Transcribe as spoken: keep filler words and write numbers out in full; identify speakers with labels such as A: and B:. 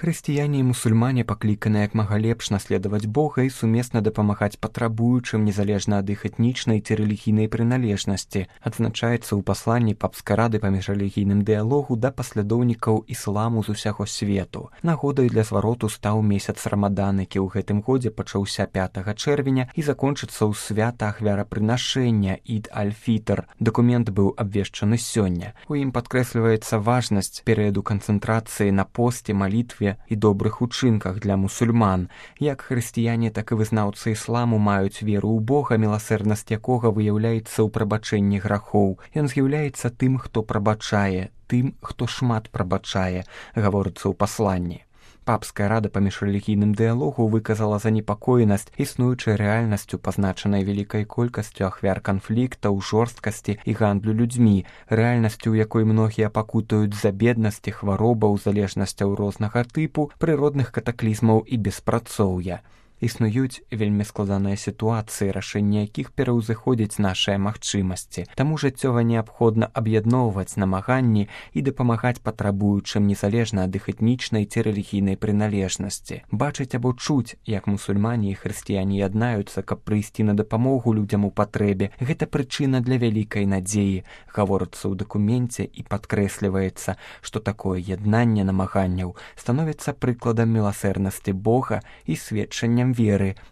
A: Хрысціяне і мусульмане пакліканы як мага лепш наследаваць Бога і сумесна дапамагаць патрабуючым незалежна ад іх этнічнай ці рэлігійнай прыналежнасці. Адзначаецца ў пасланні папскай рады па міжрэлігійным дыялогу да паслядоўнікаў ісламу з усяго свету. Нагодай для звароту стаў месяц Рамадан, які ў гэтым годзе пачаўся пятага чэрвеня і закончыцца ў свята ахвярапрынашэння Ід аль-Фітр. Дакумент быў абвешчаны сёння. У ім падкрэсліваецца важнасць перыяду канцэнтрацыі на посце, малітве і добрых учынках для мусульман. Як хрысціяне, так і вызнаўцы ісламу маюць веру ў Бога, міласэрнасць якога выяўляецца ў прабачэнні грахоў. Ён з'яўляецца тым, хто прабачае, тым, хто шмат прабачае, гаворыцца ў пасланні. Папская рада па міжрэлігійным дыялогу выказала занепакоенасць існуючай рэальнасцю, пазначанай вялікай колькасцю ахвяр канфліктаў, жорсткасці і гандлю людзьмі, рэальнасцю, у якой многія пакутаюць з-за беднасці, хваробаў, залежнасцяў рознага тыпу, прыродных катаклізмаў і беспрацоўя. Існуюць вельмі складаныя сітуацыі, рашэнне якіх пераўзыходзіць нашыя магчымасці. Таму жыццёва неабходна аб'ядноўваць намаганні і дапамагаць патрабуючым незалежна ад іх этнічнай ці рэлігійнай прыналежнасці. Бачыць або чуць, як мусульмане і хрысціяне яднаюцца, каб прыйсці на дапамогу людзям у патрэбе, гэта прычына для вялікай надзеі, гаворыцца ў дакуменце і падкрэсліваецца, што такое яднанне намаганняў становіцца прыкладам міласэрнасці Бога і сведчаннем веры,